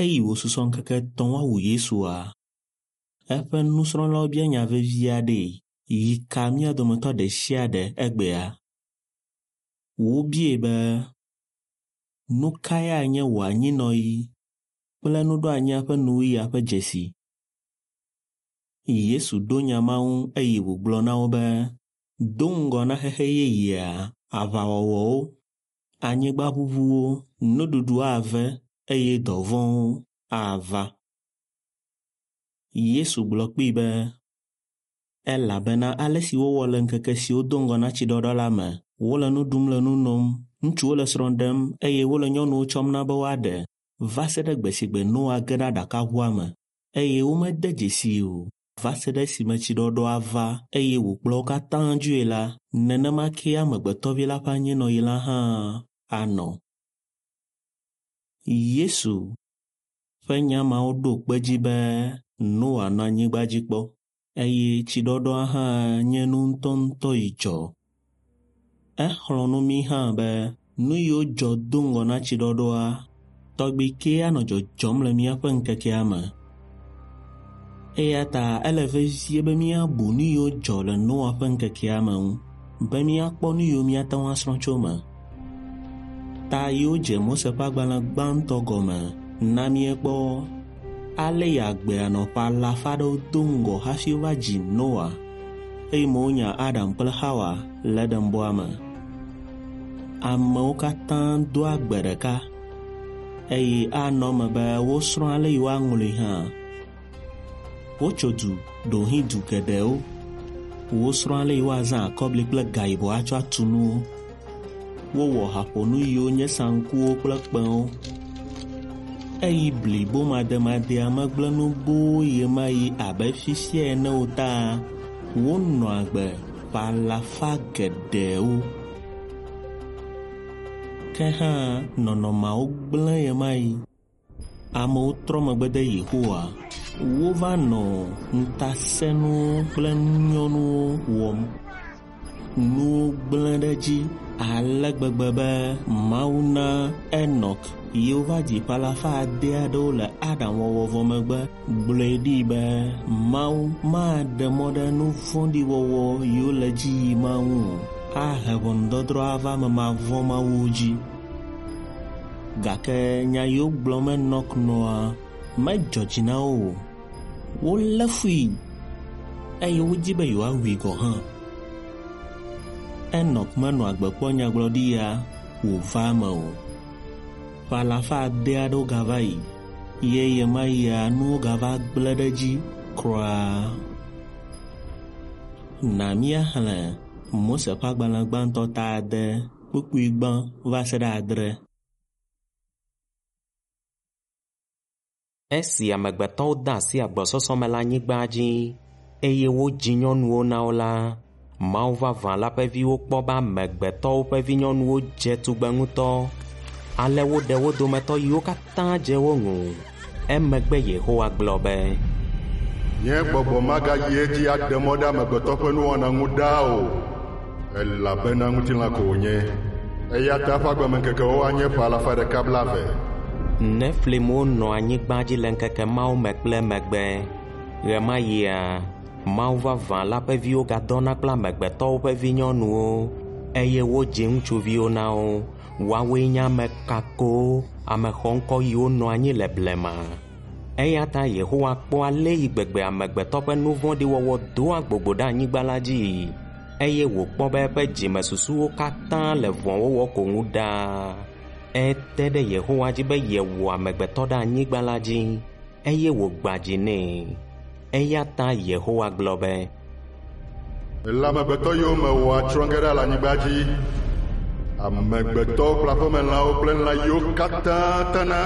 Eyi wòsusɔ ŋkeke etɔ̃ woawu Yesua, eƒe nusrɔ̃lawo bia nya vevi aɖee yi ka mía dometɔ ɖe sia ɖe egbea. Wobiae be, “Nu kae anye wò anyinɔɣi kple nuɖoanyia ƒe nuwuɣia ƒe dzesi?” Yesu ɖo nya ma ŋu eye wògblɔ na wo be, do ŋgɔ na xexe yeyea, aʋawɔwɔwo, anyigbaʋuʋuwo, nuɖuɖu ave eye dɔvɔ̃wo ava. Yesu gblɔ kpee be, elabena ale si wowɔ le ŋkeke siwo do ŋgɔ na tsiɖɔɖɔ la me, wole nu ɖum le nu nom, ŋutsuwo le srɔ̃ ɖem eye wole nyɔnuwo tsɔm na be woaɖe va se ɖe gbe si gbe Noa ge ɖe aɖakaʋua me eye womede dzesii o va se ɖe esime tsiɖɔɖɔa va eye wòkplɔ wo katã dzoe la, nenema kee Amegbetɔvi la ƒe anyinɔɣi la hã anɔ. Yesu ƒe nya mawo ɖo kpe edzi be Noa nɔ anyigba dzi kpɔ eye tsiɖɔɖɔa hã nye nu ŋutɔŋutɔ yi dzɔ. Exlɔ̃ nu mí hã be nu yiwo dzɔ do ŋgɔ na tsiɖɔɖɔa tɔgbi kee anɔ dzɔdzɔm le míaƒe ŋkekea me. Eya ta ele vevie be míabu nu yiwo dzɔ le Noa ƒe ŋkekea me ŋu be míakpɔ nu yiwo míate ŋu asrɔ̃ tso eme. Ta yiwo dze Mose ƒe agbalẽ gbãtɔ gɔme na míekpɔ ale yi agbea nɔ ƒe alafa aɖewo do ŋgɔ hafi wova dzi Noa eye wonya Adam kple Xawa le Edenbɔa me. Amewo katã doa gbe ɖeka eye anɔ eme be wosrɔ̃ ale yi woaŋlɔe hã. Wotso du ɖewohĩ du geɖewo. Wosrɔ̃ ale yi woazã akɔbli kple gayibɔ atsɔ atu nuwo. Wowɔ haƒonu yiwo nye saŋkuwo kple kpẽwo. Eyi blibomademadea megblẽ nu boo ɣemaɣi abe fifia ene o ta wonɔ agbe ƒe alafa geɖewo. Ke hã nɔnɔmeawo gblẽ ɣemaɣi. Amewo trɔ megbe de Yehowa. Wova nɔ ŋutasẽnuwo kple ŋunyɔnuwo wɔm. Nuwo gblẽ ɖe edzi ale gbegbe be Mawu na Enɔk yi wova dzi ƒe alafa ade aɖewo le Adam wɔwɔ vɔ megbe gblɔe ɖi be Mawu maɖe mɔ ɖe nu vɔ̃ɖi wɔwɔ yiwo le edzi yim ma ŋu o, ahe ʋɔnudɔdrɔ̃ ava ame mavɔ̃mawuwo dzi. Gake nya yiwo gblɔm Enɔk nɔa medzɔ dzi na wo o. Wolé fui eye wodi be yewoawui gɔ̃ hã. Enɔk menɔ agbe kpɔ nyagblɔɖi ya wòva eme o. Ƒe alafa ade aɖewo gava yi ye ɣemaɣia nuwo gava gblẽ ɖe edzi kura. Na míaxlẽ Mose ƒe agbalẽ gbãtɔ ta ade kpukpui gbã va se ɖe adre. Esi amegbetɔwo de asi agbɔsɔsɔ me le anyigba dzi eye wodzi nyɔnuwo na wo la, Mawu vavã la ƒe viwo kpɔ be amegbetɔwo ƒe vinyɔnuwo dze tugbe ŋutɔ. Ale woɖe wo dometɔ yiwo katã dze wo ŋu. Emegbe Yehowa gblɔ be, Nye gbɔgbɔ magayi edzi aɖe mɔ ɖe amegbetɔ ƒe nuwɔna ŋu ɖaa o, elabena ŋutilã ko wònye. Eya ta eƒe agbemeŋkekewo anye ƒe alafa ɖeka blaeve. Nefilimwo nɔ anyigba dzi le ŋkeke mawo me kple emegbe. Ɣemaɣia, Mawu vavã la ƒe viwo gadɔna kple amegbetɔwo ƒe vinyɔnuwo eye wodzi ŋutsuviwo na wo. Woawoe nye ame kakowo, ame xɔŋkɔ yiwo nɔ anyi le blema. Eya ta Yehowa kpɔ ale yi gbegbe amegbetɔ ƒe nu vɔ̃ɖi wɔwɔ doa gbogbo ɖe anyigba la dzii eye wòkpɔ be eƒe dzimesusuwo katã le vɔ̃wɔwɔ ko ŋu ɖaa. Ete ɖe Yehowa dzi be yewɔ amegbetɔ ɖe anyigba la dzi eye wògbã dzi nɛ. Eya ta Yehowa gblɔ be, Le amegbetɔ yiwo mewɔa tsrɔ̃ ge ɖa le anyigba dzi, amegbetɔwo kple aƒemelãwo kple lã yiwo katã tana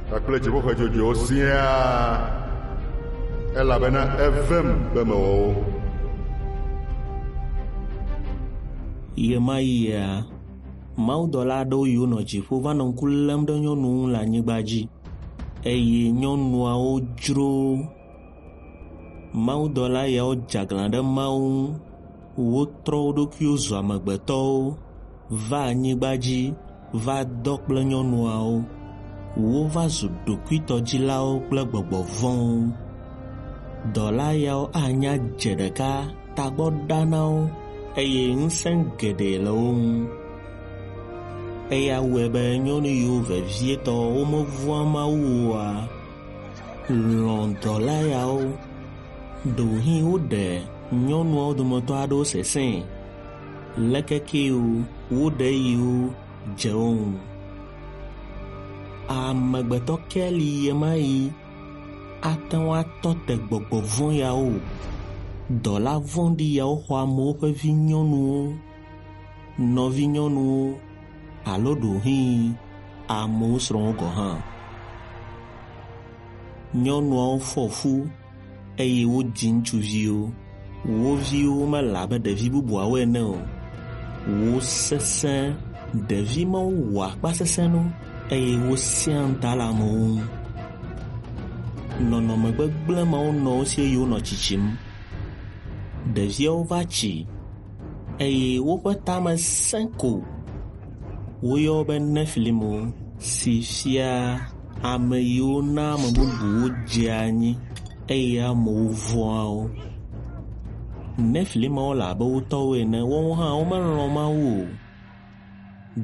kpakple dziƒoxe dzodzoewo siaa, elabena evem be mewɔ wo. Ɣemaɣia, mawudɔla aɖewo yiwo nɔ dziƒo va nɔ ŋku lém ɖe nyɔnuwo ŋu le anyigba dzi eye nyɔnuawo dzro. Mawudɔla yawo dze aglã ɖe Mawu ŋu. Wotrɔ wo ɖokuiwo zu amegbetɔwo va anyigba dzi va dɔ kple nyɔnuawo. Wova zu ɖokuitɔdzilawo kple gbɔgbɔ vɔ̃wo. Dɔla yawo anya dze ɖeka tagbɔ ɖa na wo eye ŋusẽ geɖe le wo ŋu. Eya wɔe be nyɔnu yiwo vevietɔ womevɔ̃a Mawu oa lɔ̃ dɔla yawo. Ɖewohĩ woɖe nyɔnuawo dometɔ aɖewo sesẽe. Leke kee o, woɖe yiwo dze wo ŋu. Amegbetɔ ke li ɣemaɣi ate ŋu atɔ te gbɔgbɔ vɔ̃ yawo. Dɔla vɔ̃ɖi yawo xɔ amewo ƒe vinyɔnuwo, nɔvinyɔnuwo alo ɖewohĩ amewo srɔ̃wo gɔ̃ hã. Nyɔnuawo fɔ fu eye wodzi ŋutsuviwo. Wo viwo mele abe ɖevi bubuawo ene o. Wo sesẽ, ɖevi mawo wɔ akpasesẽnu eye wosẽa ŋuta le amewo ŋu. Nɔnɔme gbegblẽ mawo nɔ wo si eye wonɔ tsitsim. Ɖeviawo va tsi eye woƒe tame sẽ ko. Woyɔ wo be Nefilimu si fia ame yiwo na ame bubuwo dzea anyi eye amewo vɔ̃a wo. Nefilimawo le abe wo tɔwo ene, woawo hã womelɔ̃ Mawu o.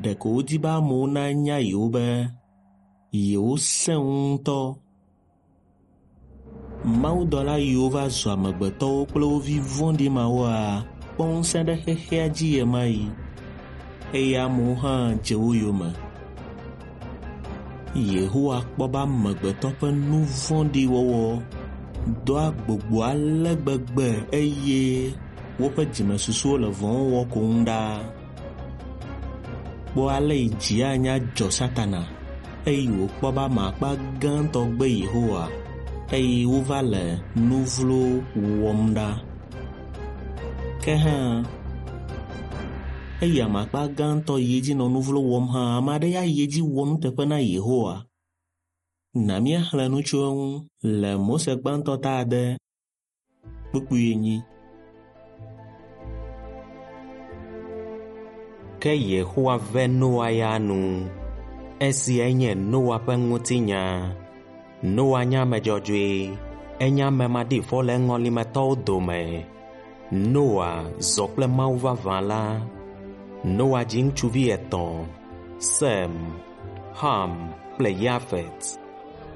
Ɖeko wodi be amewo nanya yewo be yewosẽ ŋu ŋutɔ. Mawudɔla yiwo va zu amegbetɔwo kple wo vi vɔ̃ɖi mawoa kpɔ ŋusẽ ɖe xexea dzi ɣemaɣi eye amewo hã dze wo yome. Yehowa kpɔ be amegbetɔ ƒe nu vɔ̃ɖi wɔwɔ doa gbogbo ale gbegbe eye woƒe dzimesusuwo le vɔ̃ wɔwɔ ko ŋu ɖaa. Kpɔ ale yi dzi anya dzɔ Satana eye wòkpɔ be ame akpa gãtɔ gbe Yehowa eye wova le nu vlo wɔm ɖa. Ke hã, eyi ame akpa gãtɔ yi edzi nɔ nu vlo wɔm hã, ame aɖe ya yi edzi wɔ nuteƒe na Yehowa. Na míaxlẽ nu tso eŋu le Mose gbãtɔ ta ade kpukpui enyi. Ke Yehowa ve Noa ya nu. Esiae nye Noa ƒe ŋutinya. Noa nye ame dzɔdzɔe, enye ame maɖifɔ le eŋɔlimetɔwo dome. Noa zɔ kple Mawu vavã la. Noa dzi ŋutsuvi etɔ̃, Sem, Ham kple Yafet.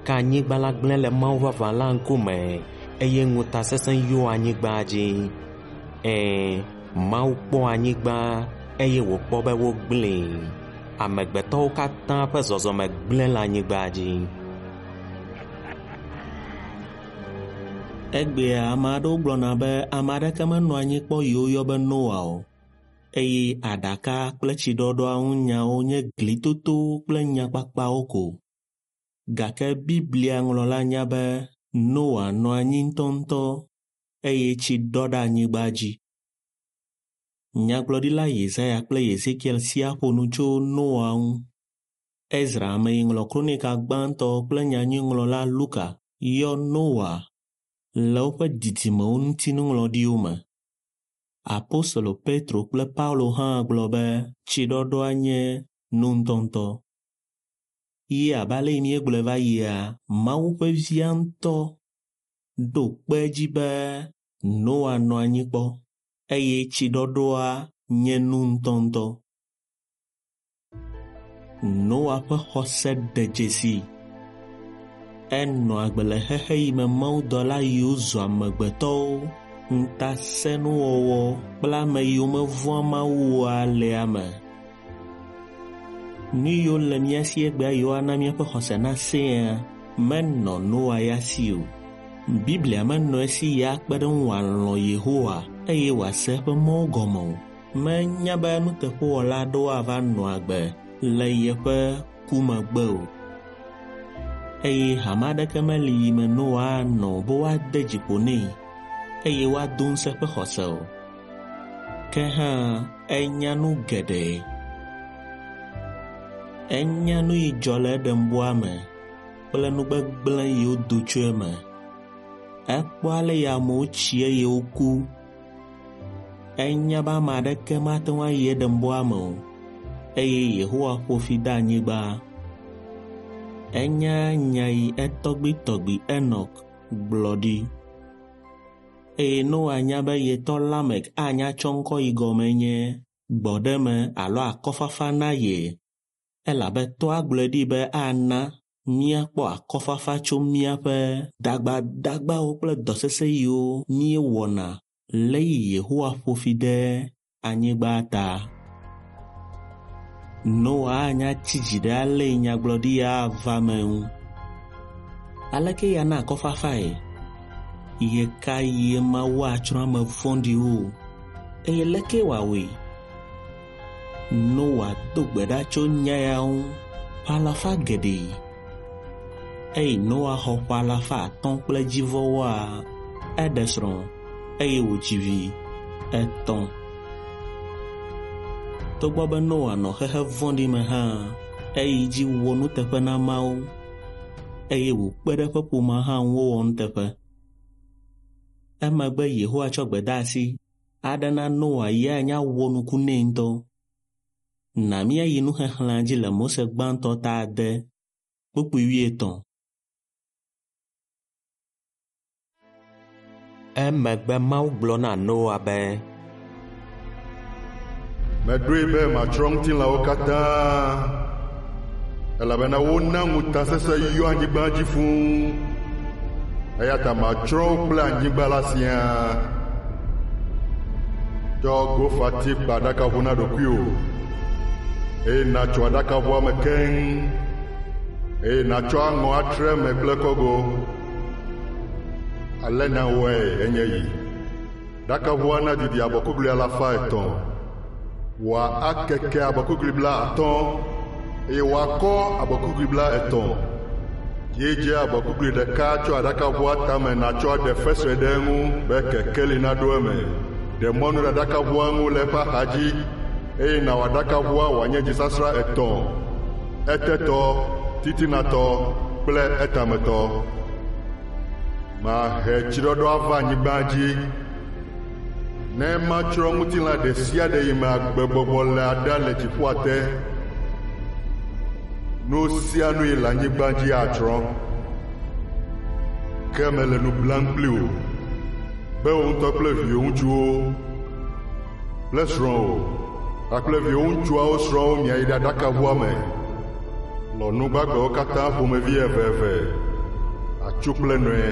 Ke anyigba la gblẽ le Mawu vavã la ŋkume eye ŋutasesẽ yɔ anyigba dzi. Ɛ̃, Mawu kpɔ anyigba eye wòkpɔ be wogblẽe. Amegbetɔwo katã ƒe zɔzɔme gblẽ le anyigba dzi. Egbea ame aɖewo gblɔna be ame aɖeke menɔ anyi kpɔ yi woyɔ be Noa o eye aɖaka kple tsiɖɔɖɔa ŋu nyawo nye glitoto kple nyakpakpawo ko. Gake Biblia ŋlɔla nya be Noa nɔ anyi ŋutɔŋutɔ eye tsi ɖɔ ɖe anyigba dzi. Nyagblɔɖila Yesaya kple Yezekiel siaa ƒo nu tso Noa ŋu. Ezra ame yi ŋlɔ kronika gbãtɔ kple nyanyuiŋlɔla Luka yɔ Noa le woƒe didimewo ŋuti nuŋlɔɖiwo me. Apostolo Petro kple Paulo hã gblɔ be tsiɖɔɖɔa nye nu ŋutɔŋutɔ. Ye abe ale yi míegblɔe va yia, Mawu ƒe via ŋutɔ ɖo kpe edzi be Noa nɔ anyi kpɔ eye tsiɖɔɖɔa nye nu ŋutɔŋutɔ. Noa ƒe xɔse ɖe dzesi. Enɔ agbe le xexe yi me mawudɔla yiwo zu amegbetɔwo, ŋutasẽnuwɔwɔ kple ame yiwo mevɔ̃a Mawu oa le ame. Nu yiwo le mía si egbea yiwo ana míaƒe xɔse nasẽa menɔ Noa ya si o. Biblia menɔ esi ya akpe ɖe eŋu wòalɔ̃ Yehowa eye wòase eƒe mɔwo gɔme o. Menya be nuteƒewɔla aɖewo ava nɔ agbe le yeƒe ku megbe o. Eye hame aɖeke meli yi me Noa anɔ be woade dzi ƒo nɛ eye woado ŋusẽ eƒe xɔse o. Ke hã enya nu geɖe. Enya nu yi dzɔ le Eɖenbɔa me kple nu gbegblẽ yiwo do tso eme. Ekpɔ ale yi amewo tsi eye woku. Enya be ame aɖeke mate ŋu ayi Eɖenbɔa me o eye Yehowa ƒo fi de anyigba. Enya nya yi etɔgbuitɔgbui Enɔk gblɔ ɖi. Eye Noa nya be yetɔ Lamek anya tsɔ ŋkɔ yi gɔme nye gbɔɖeme alo akɔfafa na ye elabe tɔa gblɔe ɖi be ana míakpɔ akɔfafa tso míaƒe dagbadagbawo kple dɔsesẽ yiwo míewɔna le yi Yehowa ƒo fi ɖe anyigba ta. Noa anya tsi dzi ɖe ale yi nyagblɔɖi ya ava me ŋu. Aleke ya na akɔfafae? Ye ka yie Mawu atsrɔ̃ ame vɔ̃ɖiwo eye leke wòawɔe? Noa do gbe ɖa tso nya ya ŋu ƒe alafa geɖe. Eyi Noa xɔ ƒe alafa atɔ̃ kple dzivɔwoa, eɖe srɔ̃ eye wòdzi vi etɔ̃. Togbɔ be Noa nɔ xexe vɔ̃ɖi me hã, eyi dzi wɔ nuteƒe na Mawu eye wòkpe ɖe eƒe ƒomea hã ŋu wowɔ nuteƒe. Emegbe Yehowa tsɔ gbedeasi aɖe na Noa yi anya wɔ nuku nɛ ŋutɔ. Na míayi nuxexlẽa dzi le Mose gbãtɔ ta ade kpukpui wuietɔ̃. Emegbe Mawu gblɔ na Noa be, Meɖoe be matsrɔ̃ ŋutilãwo katã, elabena wona ŋutasesẽ yɔ anyigba dzi fũu. Eya ta matsrɔ̃ wo kple anyigba la siaa. Tsɔ gofati kpa aɖakaʋu na ɖokuiwò, eye nàtso aɖakaʋua me keŋ, eye nàtsɔ aŋɔ atre eme kple kɔgo. Ale nàwɔe enye yi. Ɖakaʋua nadidi abɔkuglui alafa etɔ̃, wòakeke abɔkuglui bla atɔ̃ eye wòakɔ abɔkuglui bla etɔ̃. Dzidze abɔkuglui ɖeka tso aɖakaʋua tame nàtsɔ aɖe fesre ɖe eŋu be kekeli naɖo eme. Ɖe mɔnu ɖe aɖakaʋua ŋu le eƒe axadzi eye nàwɔ aɖakaʋua wòanye dzisasrã etɔ̃, etetɔ, titinatɔ kple etametɔ. Mahe tsiɖɔɖɔ ava anyigba dzi ne matsrɔ̃ ŋutilã ɖe sia ɖe yi me agbegbɔgbɔ le aɖa le dziƒoa te. Nu sia nu yi le anyigba dzi atsrɔ̃. Ke mele nu blam kpli wò be wò ŋutɔ kple viwò ŋutsuwo kple srɔ̃wò kpakple viwò ŋutsuawo srɔ̃wo miayi ɖe aɖakaʋua me. Lɔ nu gbagbewo katã ƒomevi eveve, atsu kple nɔe,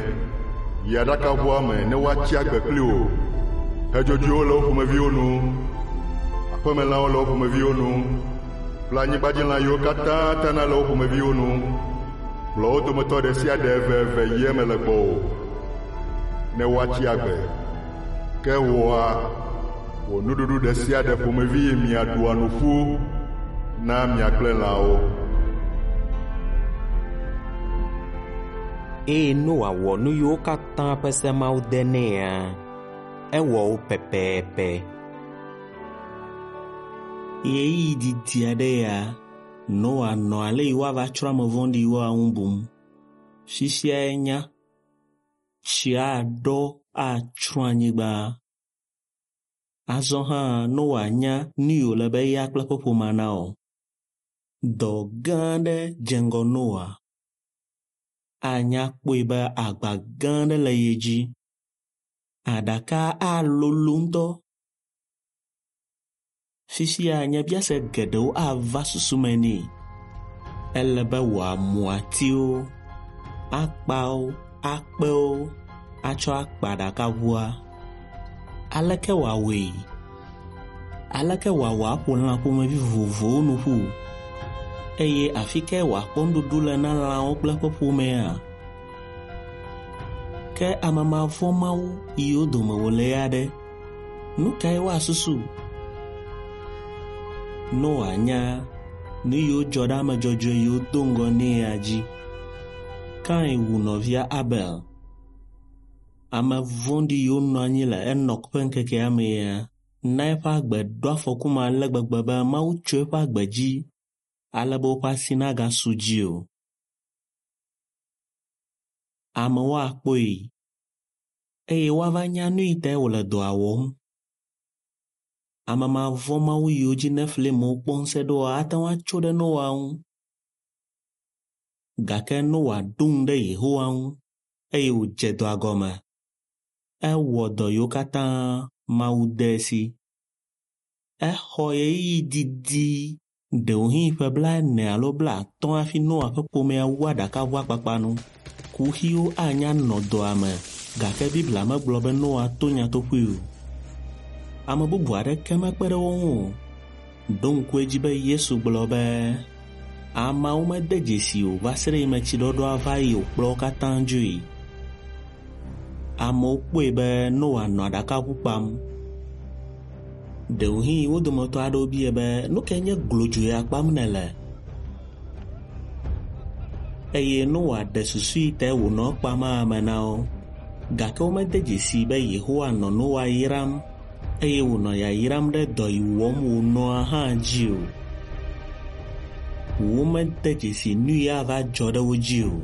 yi aɖakaʋua me ne woatsi agbe kpli wò. Xedzodzoewo le wo ƒomeviwo nu, aƒemelãwo le wo ƒomeviwo nu kple anyigbadzilã yiwo katã tana le wo ƒomeviwo nu. Kplɔ wo dometɔ ɖe sia ɖe eveve yi eme le gbɔwò ne woatsi agbe. Ke wòa, wò nuɖuɖu ɖe sia ɖe ƒomevi yi miaɖua nu ƒu na mia kple lãwo. Eye Noa wɔ nu yiwo katã ƒe se Mawu de nɛa, ewɔ wo pɛpɛpɛ. Ɣeyiɣi didi aɖe ya, Noa nɔ ale yi woava tsrɔ̃ ame vɔ̃ɖiwoa ŋu bum. Fifia enya, tsi aɖɔ atsrɔ̃ anyigba. Azɔ hã Noa nya nu yi wòle be eya kple eƒe ƒomea nawɔ. Dɔ gã aɖe dze ŋgɔ Noa. Anya kpɔe be agba gã aɖe le ye dzi. Aɖaka alolo ŋutɔ. Fifia nyabiase geɖewo ava susu me nɛ. Ele be wòamu atiwo, akpawo, akpewo atsɔ akpa aɖakaʋua. Aleke wòawɔe? Aleke wòawɔ aƒo lã ƒomevi vovovowo nu ƒu? Eye afi kae wòakpɔ nuɖuɖu le na lãwo kple eƒe ƒomea? Ke ame mavɔ̃mawu yiwo dome wòle ya ɖe, nu kae woasusu? Noa nya nu yiwo dzɔ ɖe ame dzɔdzɔe yiwo do ŋgɔ nɛ ya dzi. Kain wu nɔvia Abel. Ame vɔ̃ɖi yiwo nɔ anyi le Enɔk ƒe ŋkekea me ya na eƒe agbe ɖo afɔku me ale gbegbe be Mawu tso eƒe agbe dzi ale be woƒe asi nagasu dzi o. Amewo akpɔe eye woava nya nu yi tae wòle dɔa wɔm. Ame mavɔ̃mawu yiwo dzi Nefilimwo kpɔ ŋusẽ ɖoa ate ŋu atso ɖe Noa ŋu. Gake Noa ɖo ŋu ɖe Yehowa ŋu eye wòdze dɔa gɔme. Ewɔ dɔ yiwo katã Mawu de esi. Exɔ ɣeyiɣi didi ɖewohĩ ƒe 40 alo 50 hafi Noa ƒe ƒomea wu aɖakaʋua kpakpa nu. Kuxiwo anya nɔ dɔa me gake Biblia megblɔ be Noa to nyatoƒoe o. Ame bubu aɖeke mekpe ɖe wo ŋu o. Ɖo ŋku edzi be Yesu gblɔ be ameawo mede dzesi o va se ɖe esime tsiɖɔɖɔa va yi wòkplɔ wo katã dzoe. Amewo kpɔe be Noa nɔ aɖakaʋu kpam. Ɖewohĩ wo dometɔ aɖewo bia be nu kae nye glodzoe ya kpam nèle? Eye Noa ɖe susu yi tae wònɔ ekpam ame na wo. Gake womede dzesi be Yehowa nɔ Noa yram eye wònɔ yayram ɖe dɔ yi wɔm wònɔa hã dzi o. Womede dzesi nu yi ava dzɔ ɖe wo dzi o.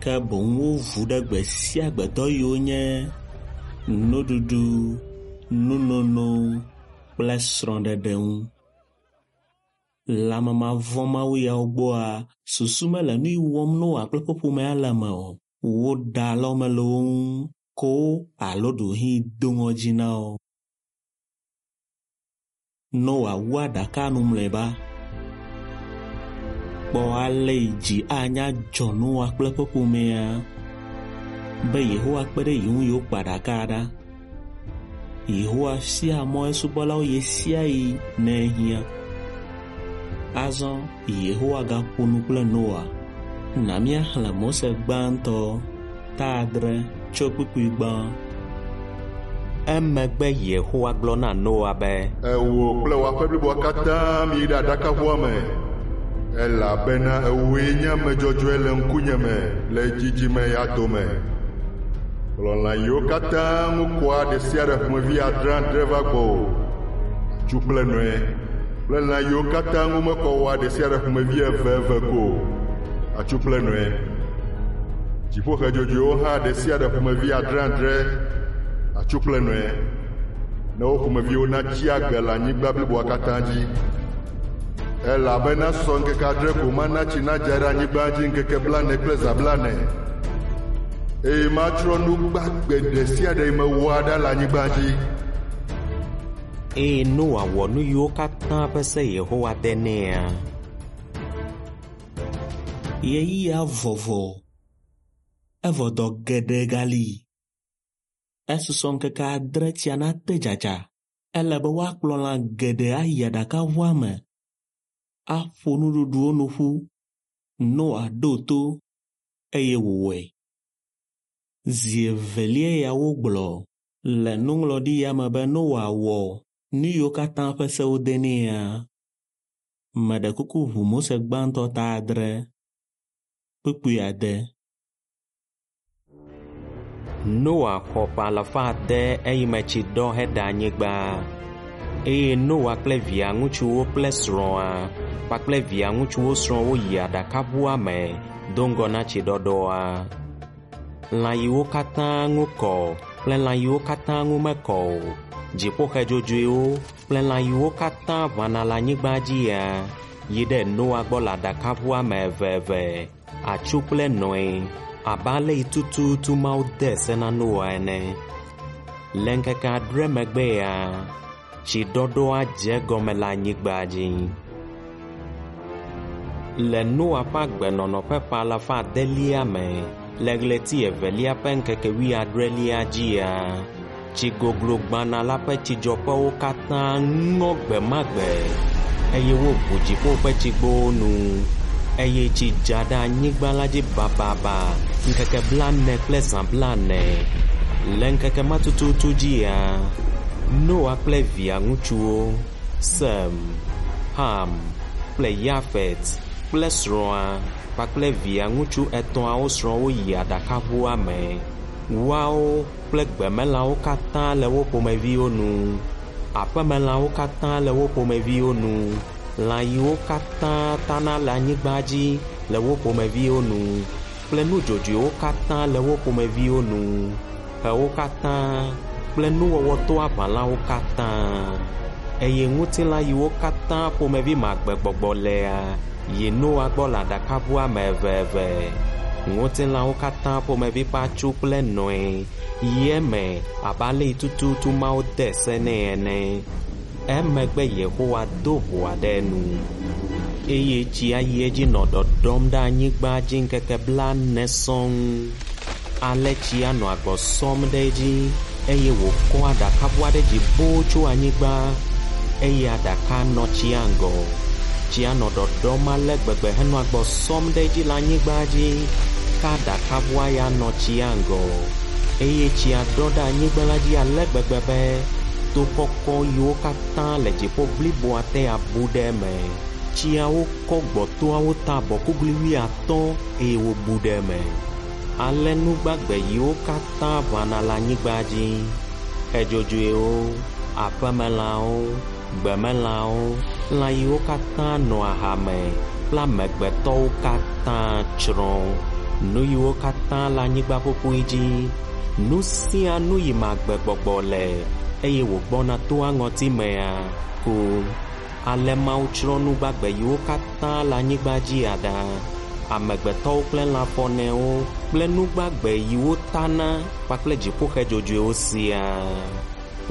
Ke boŋ wovu ɖe gbe sia gbe dɔ yiwo nye nuɖuɖu, nunono kple srɔ̃ɖeɖe ŋu. Le ame mavɔ̃mawu yawo gbɔa, susu mele nu yi wɔm Noa kple eƒe ƒomea le me o. Woɖe alɔme le wo ŋu ko alo ɖewohĩ do ŋɔdzi na wo. Noa wu aɖaka nu mlɔeba. Kpɔ ale yi dzi anya dzɔ Noa kple eƒe ƒomea be Yehowa kpe ɖe ye ŋu yewokpa aɖaka ɖa. Yehowa fia mɔ esubɔlawo ɣesiaɣi ne ehiã. Azɔ Yehowa gaƒo nu kple Noa. Na míaxlẽ Mose gbãtɔ ta 6 tso kpukpui 1. Emegbe Yehowa gblɔ na Noa be, Ewò kple wò aƒe bliboa katã miyi ɖe aɖakaʋua me, elabena ewòe nye ame dzɔdzɔe le ŋkunye me le dzidzime ya dome. Kplɔ lã yiwo katã ŋu kɔa ɖe sia ɖe ƒomevi 7 va gbɔwò, atsu kple nɔe, kple lã yiwo katã ŋu mekɔ oa ɖe sia ɖe ƒomevi 2 ko, atsu kple nɔe. Dziƒoxe dzodzoewo hã ɖe sia ɖe ƒomevi 7, atsu kple nɔe, ne wo ƒomeviwo natsi agbe le anyigba bliboa katã dzi. Elabena sɔ ŋkeke 7 ko mana tsi nadza ɖe anyigba dzi ŋkeke 40 kple zã 40, eye matsrɔ̃ nu gbagbe ɖe sia ɖe yi mewɔa ɖa le anyigba dzi. Eye Noa wɔ nu yiwo katã ƒe se Yehowa de nɛa. Ɣeyiɣia vɔvɔ, evɔ dɔ geɖe gali. Esusɔ ŋkeke 8 tsia nate dzadza. Ele be woakplɔ lã geɖe ayi aɖakaʋua me, aƒo nuɖuɖuwo nu ƒu. Noa ɖo to eye wòwɔe. Zi evelia ya wogblɔ le nuŋlɔɖi ya me be Noa wɔ nu yiwo katã ƒe se wode nɛa. Meɖe kuku ʋu Mose gbãtɔ ta 6 kpukpui 8. Noa xɔ ƒe 500 eyime tsi ɖɔ heɖe anyigba. Eye Noa kple via ŋutsuwo kple srɔ̃a kpakple via ŋutsuwo srɔ̃wo yi aɖakaʋua me do ŋgɔ na tsiɖɔɖɔa. Lã yiwo katã ŋu kɔ kple lã yiwo katã ŋu mekɔ o, dziƒoxe dzodzoewo kple lã yiwo katã ʋãna le anyigba dzia, yi ɖe Noa gbɔ le aɖakaʋua me eveve, atsu kple nɔe, abe ale yi tututu Mawu de se na Noa ene. Le ŋkeke 7 megbea, tsiɖɔɖɔa dze egɔme le anyigba dzi. Le Noa ƒe agbenɔnɔ ƒe ƒe 500 me, le ɣleti evelia ƒe ŋkeke 70 dzia, tsi goglo gbana la ƒe tsidzɔƒewo katã ŋɔ gbe ma gbe, eye woʋu dziƒo ƒe tsigbowo nu, eye tsi dza ɖe anyigba la dzi bababa ŋkeke 40 kple zã 40. Le ŋkeke ma tututu dzia, Noa kple via ŋutsuwo, Sem, Ham kple Yafet kple srɔ̃a kpakple via ŋutsu 3 srɔ̃wo yi aɖakaʋua me. Woawo kple gbemelãwo katã le wo ƒomeviwo nu, aƒemelãwo katã le wo ƒomeviwo nu, lã yiwo katã tana le anyigba dzi le wo ƒomeviwo nu, kple nudzodzoewo katã le wo ƒomeviwo nu, xewo katã kple nuwɔwɔ toaʋalawo katã. Eye ŋutilã yiwo katã ƒomevi me agbegbɔgbɔ lea yi Noa gbɔ le aɖakaʋua me eveve. Ŋutilãwo katã ƒomevi ƒe atsu kple nɔe yi eme abe ale yi tututu Mawu de se nɛ ene. Emegbe Yehowa do ʋɔa ɖe enu eye tsia yi edzi nɔ ɖɔɖɔm ɖe anyigba dzi ŋkeke 40 sɔŋ. Ale tsia nɔ agbɔ sɔm ɖe edzi eye wòkɔ aɖakaʋua ɖe dzi boo tso anyigba eye aɖaka nɔ tsia ŋgɔ. Tsia nɔ ɖɔɖɔm ale gbegbe henɔ agbɔ sɔm ɖe edzi le anyigba dzi ke aɖakaʋua ya nɔ tsia ŋgɔ eye tsia ɖɔ ɖe anyigba la dzi ale gbegbe be to kɔkɔ yiwo katã le dziƒo bliboa te abu ɖe eme. Tsiawo kɔ gbɔ toawo ta abɔkuglui 50 eye wobu ɖe eme. Ale nu gbagbe yiwo katã ʋãna le anyigba dzi, xe dzodzoewo, aƒemelãwo, gbemelãwo, lã yiwo katã nɔa ha me kple amegbetɔwo katã tsrɔ̃. Nu yiwo katã le anyigba ƒuƒui dzi, nu sia nu yi me agbegbɔgbɔ le eye wògbɔna toa ŋɔtimea ku. Ale Mawu tsrɔ̃ nu gbagbe yiwo katã le anyigba dzi aɖa, amegbetɔwo kple lãfɔnewo kple nu gbagbe yiwo tana kpakple dziƒoxe dzodzoewo siaa.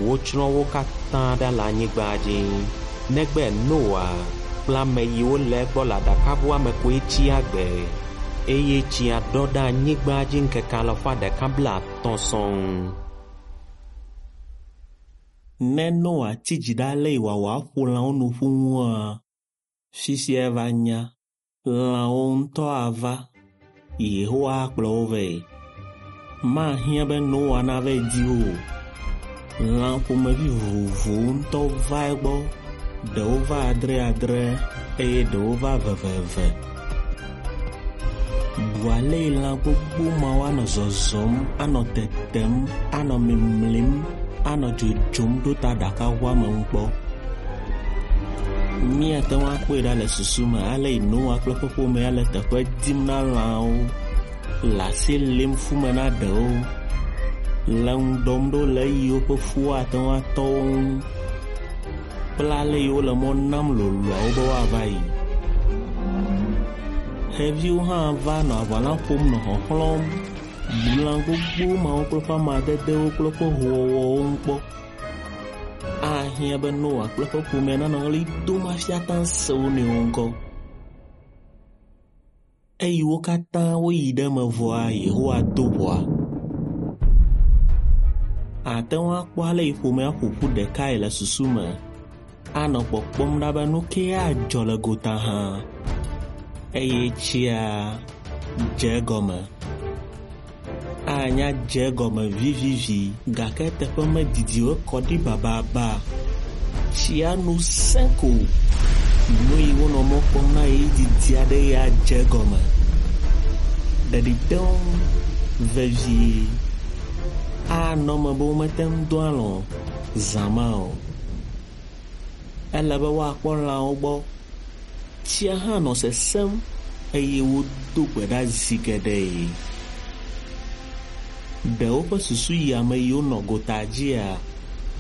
Wotsrɔ̃ wo katã ɖa le anyigba dzi, negbe Noa kple ame yiwo le egbɔ le aɖakaʋua me koe tsi agbe eye tsia ɖɔ ɖe anyigba dzi ŋkeke 150 sɔŋ. Ne Noa tsi dzi ɖe ale yi wòawɔ aƒo lãwo nu ƒu ŋua, fifia eva nya lãwo ŋutɔ ava, Yehowa akplɔ wo vɛ. Mahiã be Noa nava di wo o. Lã ƒomevi vovovowo ŋutɔ va egbɔ, ɖewo va adreadre eye ɖewo va eveve. Bu ale yi lã gbogbo mawo anɔ zɔzɔm, anɔ tetem, anɔ mimlim, anɔ dzodzom ɖo ta aɖakaʋua me ŋu kpɔ. Míate ŋu akpɔe ɖa le susu me ale yi Noa kple eƒe ƒomea le teƒe dim na lãwo, le asi lim ƒume na ɖewo, le ŋu ɖɔm ɖo le eyi woƒe fuwo ate ŋu atɔ wo ŋu kple ale yi wole mɔ nam loloawo be woava yi. Xeviwo hã va nɔ aʋala ƒom nɔ xɔxlɔ̃m. Bu lã gbogbo mawo kple woƒe amadedewo kple woƒe hoowɔwɔwo ŋu kpɔ. Ahiã be Noa kple eƒe ƒomea nanɔ ɣli dom hafi ate ŋu ase wo nɔewo ŋkɔ. Eyi wo katã woyi ɖe eme vɔa, Yehowa do ʋɔa. Ate ŋu akpɔ ale yi ƒomea ƒo ƒu ɖekae le susu me, anɔ kpɔkpɔm ɖa be nu kee adzɔ le gota hã. Eye tsia dze egɔme. Anya dze egɔme vivivi gake eteƒe medidi o ekɔ ɖi bababa. Tsia nu sẽ ko. Nu yi wonɔ mɔ kpɔm na ɣeyiɣi didi aɖe ya dze egɔme. Ɖeɖi te ŋu vevie. Anɔ eme be womete ŋu do alɔ̃ zã ma o. Ele be woakpɔ lãwo gbɔ. Tsia hã nɔ sesẽm eye wodo gbe ɖa zi geɖe. Ɖe woƒe susu yi ame yiwo nɔ gota dzia?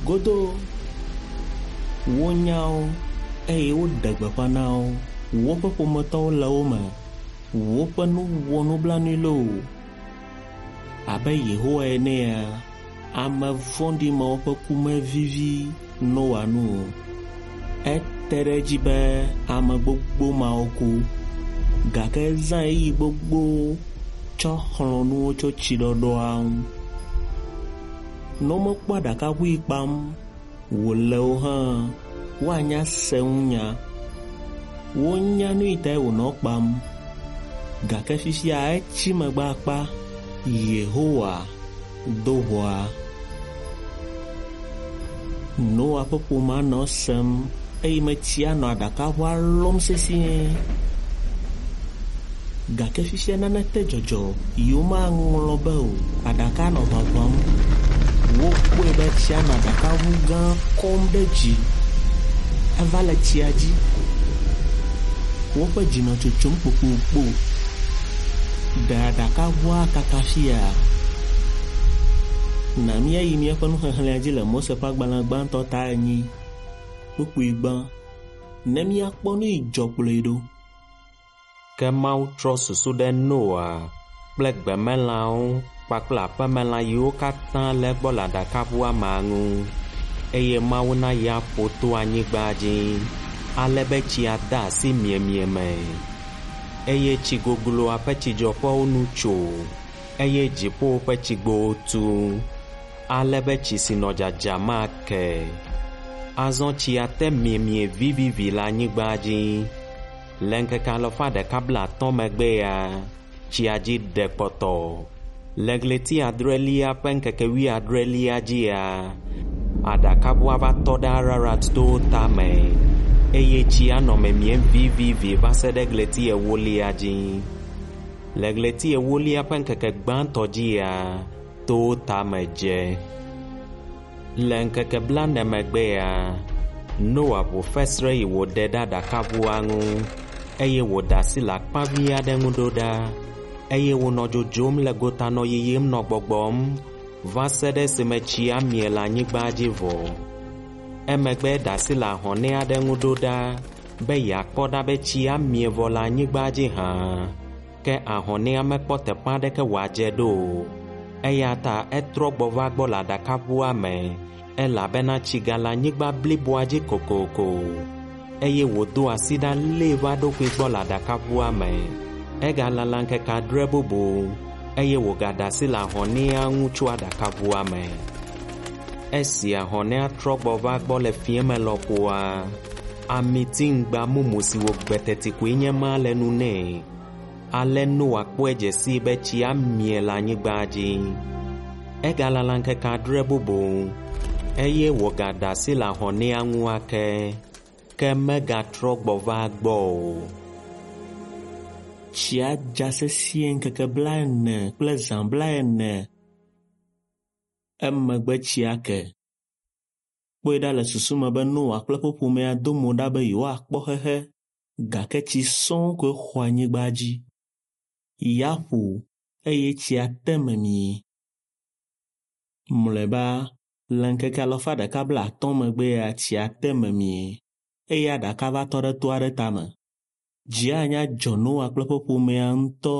Godoo. Wonya wo eye woɖe gbeƒã na wo. Woƒe ƒometɔwo le wo me. Woƒe nu wɔ nublanui loo. Abe Yehowa enea, ame vɔ̃ɖi mawo ƒe ku mevivi Noa nu o. Ete ɖe edzi be ame gbogbo mawo ku gake ezã ɣeyiɣi gbogbo tsɔ xlɔ̃ nu wo tso tsiɖɔɖɔa ŋu. Ne womekpɔ aɖakaʋu yi kpam wòle o hã, woanya se ŋu nya. Wonya nu yi tae wònɔ kpam gake fifia etsi megbe akpa. Yehowa do ʋɔa. Noa ƒe ƒomea nɔ esem eye tsia nɔ aɖakaʋua lɔm sesĩe. Gake fifia nane te dzɔdzɔ yi womaŋlɔ be o. Aɖaka nɔ ʋaʋãm. Wokpɔe be tsia nɔ aɖakaʋu gã kɔm ɖe dzi. Eva le tsia dzi. Woƒe dzi nɔ tsotsom kpokpokpo. Ɖe aɖakaʋua kaka fia? Na míayi míaƒe nuxexlẽa dzi le Mose ƒe agbalẽ gbãtɔ ta 4, kpukpui gbã, ne míakpɔ nu yi dzɔ kplɔe ɖo. Ke Mawu trɔ susu ɖe Noa kple gbemelãwo kpakple aƒemelã yiwo katã le egbɔ le aɖakaʋua mea ŋu eye Mawu na ya ƒo to anyigba dzi ale be tsia de asi miemie me eye tsi gogloa ƒe tsidzɔƒewo nu tso eye dziƒowo ƒe tsigbowo tu ale be tsi si nɔ dzadzam ake. Azɔ tsia te miemie vivivi le anyigba dzi. Le ŋkeke alafa ɖeka blaatɔ̃ megbea, tsia dzi ɖe kpɔtɔ. Le ɣleti adrelia ƒe ŋkeke wuiadrelia dzia, aɖakaʋua va tɔ ɖe Ararat towo tame eye tsia nɔ miemiem vivivi va se ɖe ɣleti ewolia dzi. Le ɣleti ewolia ƒe ŋkeke gbãtɔ dzia, towo tame dze. Le ŋkeke blaene megbea, Noa ʋu fesre yi wòɖe ɖe aɖakaʋua ŋu eye wòɖe asi le akpavi aɖe ŋu ɖo ɖa eye wònɔ dzodzom le gota nɔ yiyim nɔ gbɔgbɔm va se ɖe esime tsia mie le anyigba dzi vɔ. Emegbe eɖe asi le ahɔnɛ aɖe ŋu ɖo ɖa be yeakpɔ ɖa be tsia mie vɔ le anyigba dzi hã. Ke ahɔnɛa mekpɔ teƒe aɖeke wòadze ɖo o. Eya ta etrɔ gbɔ va gbɔ le aɖakaʋua me elabena tsi gale anyigba bliboa dzi kokoko. Eye wòdo asi ɖa lée va eɖokui gbɔ le aɖakaʋua me. Egalala ŋkeke adre bubu eye wògaɖe asi le ahɔnɛa ŋu tso aɖakaʋua me. Esi ahɔnɛa trɔ gbɔ va gbɔ le fiẽme lɔƒoa, amitiŋgba mumu si wògbe teti koe nye ma le nu nɛ. Ale Noa kpɔe dze sii be tsia mie le anyigba dzi. Egalala ŋkeke adre bubu eye wògaɖe asi le ahɔnɛa ŋu ake, ke megatrɔ gbɔ va egbɔ o. Tsia dza sesĩe ŋkeke blaene kple zã blaene. Emegbe tsia ke. Kpɔe ɖa le susu me be Noa kple eƒe ƒomea do mo ɖa be yewoakpɔ xexe gake tsi sɔŋ koe xɔ anyigba dzi. Ya ƒo eye tsia te memie. Mlɔeba le ŋkeke alafa ɖeka blaatɔ̃ megbea tsia te memie eye aɖaka va tɔ ɖe to aɖe tame. Dzi anya dzɔ Noa kple eƒe ƒomea ŋutɔ.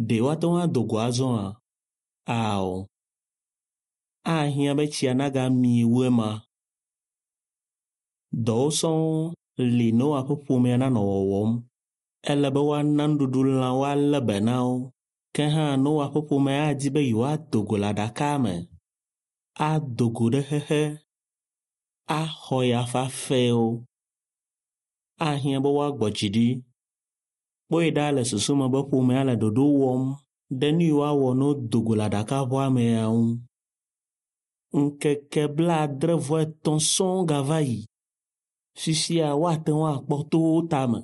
Ɖe woate ŋu ado go azɔa? Ao. Ahiã be tsia nagamie wu ema. Dɔwo sɔŋ li Noa ƒe ƒomea nanɔ wɔwɔm. Ele be woana nuɖuɖu lãwo alé be na wo. Ke hã Noa ƒe ƒomea adi be yewoado go le aɖaka me, ado go ɖe xexe, axɔ ya fafɛwo. Ahiã be woagbɔ dzi ɖi. Kpɔe ɖa le susu me be ƒomea le ɖoɖo wɔm ɖe nu yi woawɔ ne wodo go le aɖakaʋua mea ŋu. Ŋkeke blaadre vɔ etɔ̃ sɔŋ gava yi. Fifia woate ŋu akpɔ towo tame.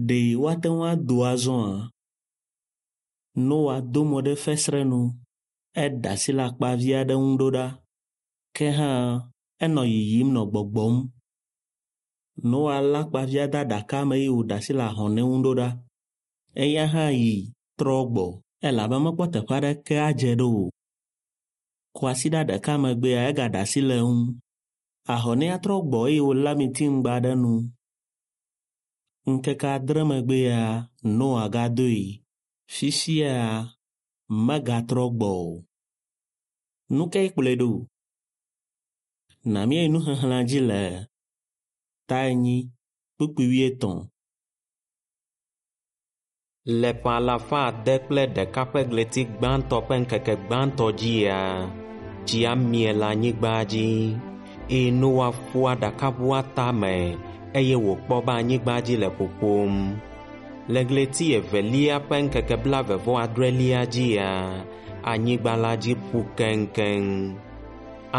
Ɖe woate ŋu ado azɔa? Noa do mo ɖe fesre nu. Eɖe asi le akpavi aɖe ŋu ɖo ɖa. Ke hã enɔ yiyim nɔ gbɔgbɔm. Noa lé akpavia de aɖaka me eye wòɖe asi le ahɔnɛ ŋu ɖo ɖa. Eya hã yi trɔ gbɔ elabe mekpɔ teƒe aɖeke adze ɖo o. Kwasiɖa ɖeka megbea egaɖe asi le eŋu. Ahɔnɛa trɔ gbɔ eye wòlé amitiŋgba ɖe nu. Ŋkeke adre megbea Noa gadoe. Fifia megatrɔ gbɔ o. Nu kae kplɔe ɖo? Na míayi nuxexlẽa dzi le ta enyi kpukpui wuietɔ̃. Le ƒe alafa ade kple ɖeka ƒe ɣleti gbãtɔ ƒe ŋkeke gbãtɔ dzia, tsia mie le anyigba dzi eye Noa ƒu aɖakaʋua tame eye wòkpɔ be anyigba dzi le ƒoƒom. Le ɣleti evelia ƒe ŋkeke blaeve vɔ adrelia dzia, anyigba la dzi ƒu keŋkeŋ.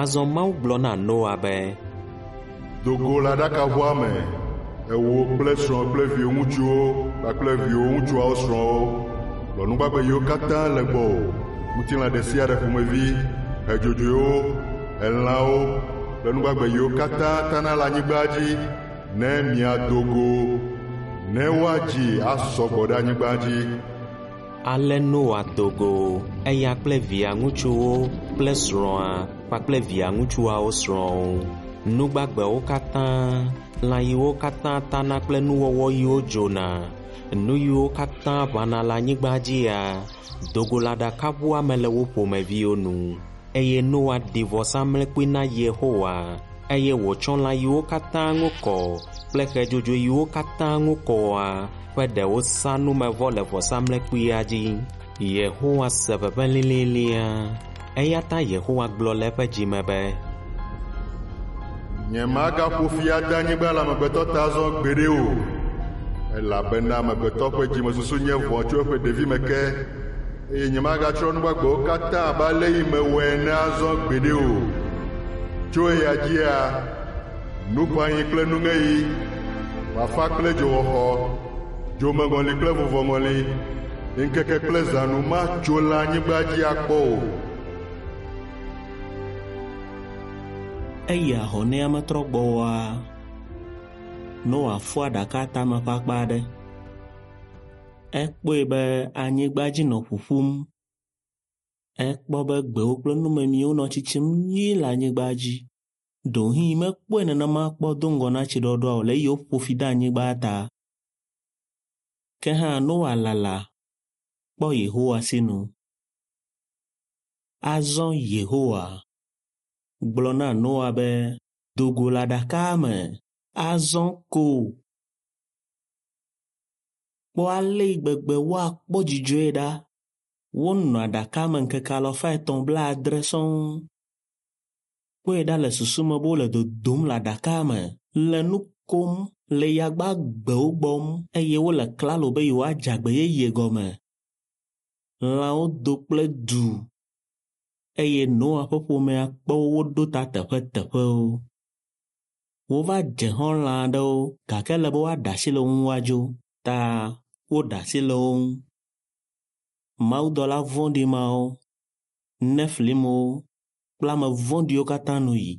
Azɔ Mawu gblɔ na Noa be, Do go le aɖakaʋua me, ewò kple srɔ̃ kple viwò ŋutsuwo kpakple viwò ŋutsuawo srɔ̃wo. Lɔ nu gbagbe yiwo katã le gbɔwò, ŋutilã ɖe sia ɖe ƒomevi, hedzodzoewo, elãwo kple nu gbagbe yiwo katã tana le anyigba dzi ne miado go, ne woadzi asɔ gbɔ ɖe anyigba dzi. Ale Noa do go eya kple via ŋutsuwo kple srɔ̃a kpakple via ŋutsuawo srɔ̃wo. Nu gbagbewo katã, lã yiwo katã tana kple nuwɔwɔ yiwo dzona, nu yiwo katã ʋãna le anyigba dzia, do go le aɖakaʋua me le wo ƒomeviwo nu. Eye Noa ɖi vɔsamlekpui na Yehowa eye wòtsɔ lã yiwo katã ŋu kɔ kple xe dzodzoe yiwo katã ŋu kɔa ƒe ɖewo sa numevɔ le vɔsamlekpuia dzi. Yehowa se ʋeʋẽ lĩlĩlĩa eya ta Yehowa gblɔ le eƒe dzime be, Nyemagaƒo fi ade anyigba le amegbetɔ ta azɔ gbeɖe o, elabena amegbetɔ ƒe dzimesusu nye vɔ̃ tso eƒe ɖevime ke, eye nyemagatsrɔ̃ nu gbagbewo katã abe ale yi mewɔe ene azɔ gbeɖe o. Tso eya dzia, nuƒãɣi kple nuŋeɣi, fafa kple dzoxɔxɔ, dzomeŋɔli kple vuvɔŋɔli, ŋkeke kple zãnu matso le anyigba dzi akpɔ o. Eyi ahɔnɛa metrɔ gbɔ oa, Noa fɔ aɖaka tame ƒe akpa aɖe. Ekpɔe be anyigba dzi nɔ ƒuƒum. Ekpɔ be gbewo kple numemiwo nɔ tsitsim nyuie le anyigba dzi. Ɖewohĩ mekpɔe nenema kpɔ do ŋgɔ na tsiɖɔɖɔa o le eyi woƒo fi de anyigba ta. Ke hã Noa lala kpɔ Yehowa sinu. Azɔ Yehowa gblɔ na Noa be, do go le aɖaka me, azɔ ko. Kpɔ ale yi gbegbe woakpɔ dzidzɔe ɖa. Wonɔ aɖaka me ŋkeke alafa etɔ̃ blaadre sɔŋ. Kpɔe ɖa le susu me be wole dodom le aɖaka me, le nu kom, le yagbagbewo gbɔm eye wole klalo be yewoadze agbe yeye gɔme. Lãwo do kple du eye Noa ƒe ƒomea kpɔ wo woɖo ta teƒeteƒewo. Wova dze xɔ̃ lã aɖewo gake ele be woaɖe asi le wo ŋu woadzo ta woɖe asi le wo ŋu. Mawudɔla vɔ̃ɖi mawo, Nefilimwo kple ame vɔ̃ɖiwo katã nu yi.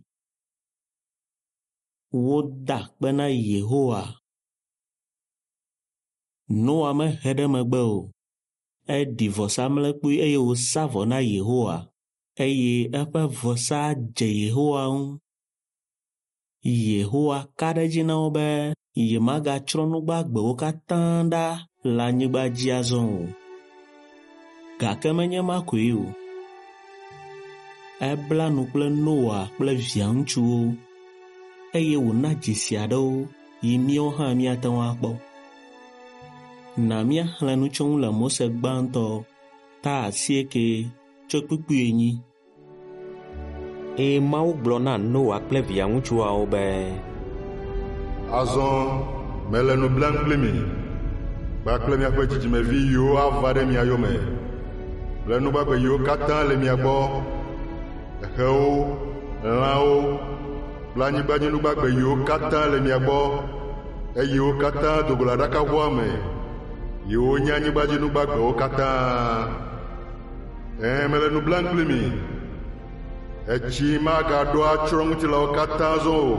Woda akpe na Yehowa. Noa mehe ɖe megbe o. Eɖi vɔsamlekpui eye wòsa vɔ na Yehowa eye eƒe vɔsa dze Yehowa ŋu. Yehowa ka ɖe edzi na wo be yemagatsrɔ̃ nu gbagbewo katã ɖa le anyigba dzi azɔ o. Gake menye ma koe o. Ebla nu kple Noa kple via ŋutsuwo eye wòna dzesi aɖewo yi míawo hã míate ŋu akpɔ. Na míaxlẽ nu tso ŋu le Mose gbãtɔ ta asieke tso kpukpui enyi. Eye Mawu gblɔ na Noa kple via ŋutsuawo be, Azɔ mele nu blam kpli mi kpakple miaƒe dzidzimevi yiwo ava ɖe mia yome kple nu gbagbe yiwo katã le mia gbɔ, xewo, lãwo kple anyigbadzinu gbagbe yiwo katã le mia gbɔ, eye wo katã do go le aɖakaʋua me, yiwo nye anyigbadzinu gbagbewo katã. Ɛ̃, mele nu blam kpli mi. Etsi magaɖo atsrɔ̃ ŋutilãwo katã azɔ o,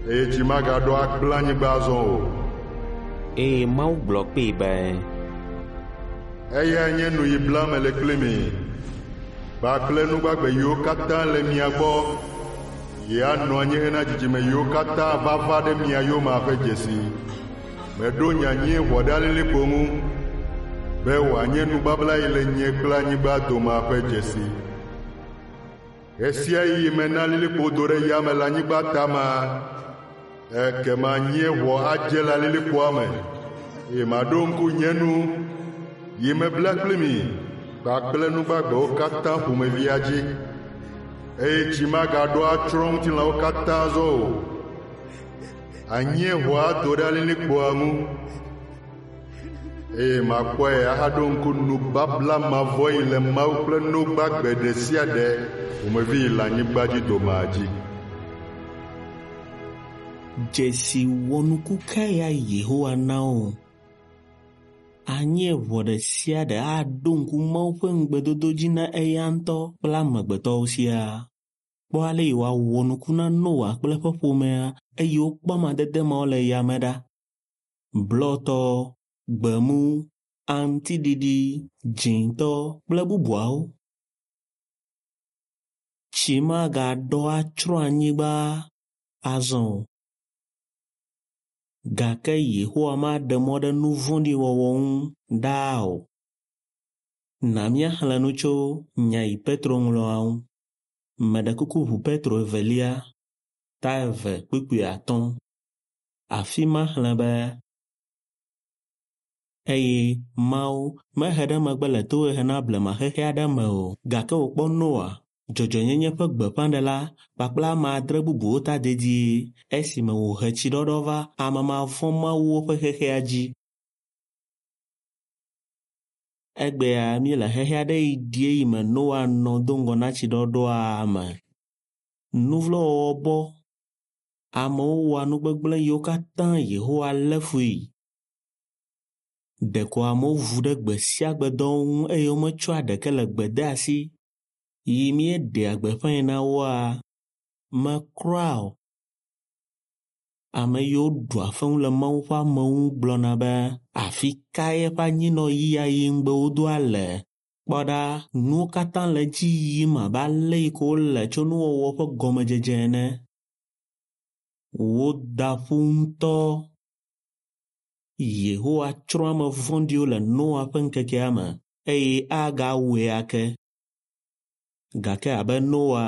eye tsi magaɖo agblẽ anyigba azɔ o. Eye Mawu gblɔ kpee be, Eyae nye nu yi blam mele kpli mi kpakple nu gbagbe yiwo katã le mia gbɔ yi anɔ anyi hena dzidzime yiwo katã va va ɖe mia yomea ƒe dzesi. Meɖo nye anyieʋɔ ɖe alilikpo ŋu be wòanye nubabla yi le nye kple anyigba domea ƒe dzesi. Ɣe sia ɣi mena alilikpo do ɖe yame le anyigba tamea, ekema anyieʋɔ adze le alilikpoa me eye maɖo ŋku nye nu yi mebla kpli mi kpakple nu gbagbewo katã ƒomevia dzi eye tsi magaɖo atsrɔ̃ ŋutilãwo katã azɔ o. Anyieʋɔ ado ɖe alilikpoa ŋu eye makpɔe ahaɖo ŋku nubabla mavɔ yi le Mawu kple nu gbagbe ɖe sia ɖe ƒomevi yi le anyigba dzi domea dzi. Dzesi wɔnuku kae ya Yehowa na wo? Anyieʋɔ ɖe sia ɖe aɖo ŋku Mawu ƒe ŋugbedodo dzi na eya ŋutɔ kple amegbetɔwo siaa. Kpɔ ale yi wòawɔ nuku na Noa kple eƒe ƒomea eye wokpɔ amadede mawo le yame ɖa. Blɔtɔ, gbemu, aŋutiɖiɖi, dzĩtɔ kple bubuawo. Tsi magaɖɔ atsrɔ̃ anyigba azɔ o. Gake Yehowa maɖe mɔ ɖe nu vɔ̃ɖi wɔwɔ ŋu ɖaa o. Na míaxlẽ nu tso nya yi Petro ŋlɔa ŋu. Meɖe kuku ʋu Petro evelia ta 2 kpukpui 5. Afi ma xlẽ be eye Mawu mehe ɖe megbe le tohehe na blema xexe aɖe me o, gake wòkpɔ Noa, dzɔdzɔenyenye ƒe gbeƒãɖela kpakple ame 6 bubuwo ta dedie esime wòhe tsiɖɔɖɔ va ame mavɔ̃mawuwo ƒe xexea dzi. Egbea míele xexe aɖe yi ɖi eyi me Noa nɔ do ŋgɔ na tsiɖɔɖɔa me. Nuvlowɔwɔ bɔ. Amewo wɔa nu gbegblẽ yiwo katã Yehowa lé fui. Ɖeko amewo vu ɖe gbe sia gbe dɔwo ŋu eye wometsɔa ɖeke le gbedeasi yi míeɖea gbeƒãe na woa me kura o. Ame yiwo ɖua fewu le Mawu ƒe amewo ŋu gblɔna be afi kae eƒe anyinɔɣi ayi ŋugbe wodoa le? Kpɔ ɖa, nuwo katã le edzi yim abe ale yi ko wole tso nuwɔwɔ ƒe gɔmedzedze ene. Woda ƒu ŋutɔ. Yehowa tsrɔ̃ ame vɔ̃ɖiwo le Noa ƒe ŋkekea me eye agawɔe ake. Gake abe Noa,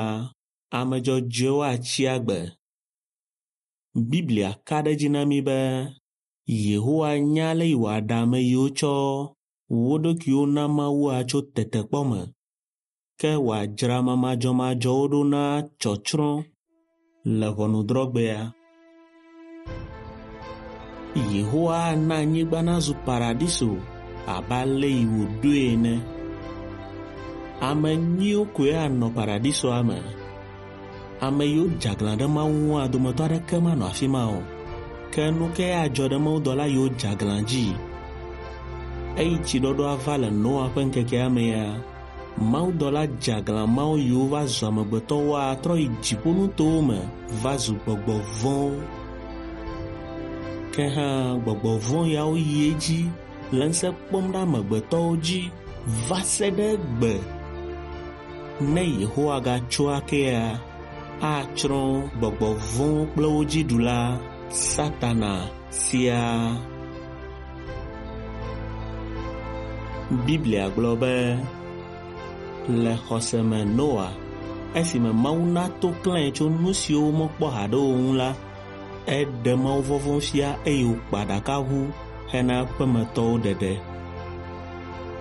ame dzɔdzɔewo atsi agbe. Biblia ka ɖe edzi na mí be Yehowa nya ale yi wòaɖe ame yiwo tsɔ wo ɖokuiwo na Mawua tso tetekpɔ me, ke wòadzra ame madzɔmadzɔwo ɖo na tsɔtsrɔ̃ le ʋɔnudrɔ̃gbea. Yehowa ana anyigba nazu paradiso abe ale yi wòɖoe ene. Ame nyuiwo koe anɔ paradisoa me. Ame yiwo dze aglã ɖe Mawu ŋua dometɔ aɖeke manɔ afi ma o. Ke nu kae adzɔ ɖe mawudɔla yiwo dze aglã dzi? Eyi tsiɖɔɖɔa va le Noa ƒe ŋkekea mea, mawudɔla dze aglã mawo yiwo va zu amegbetɔwoa trɔ yi dziƒonutowo me va zu gbɔgbɔ vɔ̃wo. Ke hã gbɔgbɔ vɔ̃ yawo yi edzi le ŋusẽ kpɔm ɖe amegbetɔwo dzi va se ɖe egbe. Ne Yehowa gatso akea, atsrɔ̃ gbɔgbɔ vɔ̃wo kple wo dzi ɖula Satana siaa. Biblia gblɔ be le xɔse me Noa, esime Mawu na to klãe tso nu siwo womekpɔ haɖe o ŋu la, eɖe mawuvɔvɔ̃ fia eye wòkpa ɖakaʋu hena eƒemetɔwo ɖeɖe.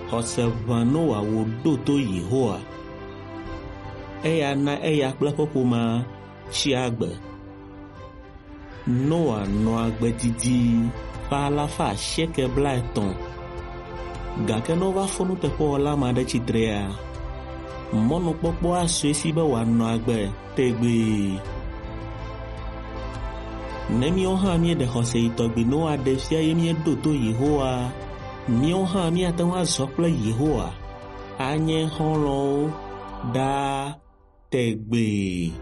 Xɔse ʋã Noa wòɖo to Yehowa. Eya na eya kple eƒe ƒomea tsi agbe. Noa nɔ agbe didi ƒe 950. Gake ne wova fɔ nuteƒewɔla ma ɖe tsitrea, mɔnukpɔkpɔ asu esi be wòanɔ agbe tegbee. Ne míawo hã míeɖe xɔse yi tɔgbi Noa ɖe fia ye míeɖo to Yehowa, míawo hã míate ŋu azɔ kple Yehowa, anye xɔlɔ̃wo ɖaa tegbee.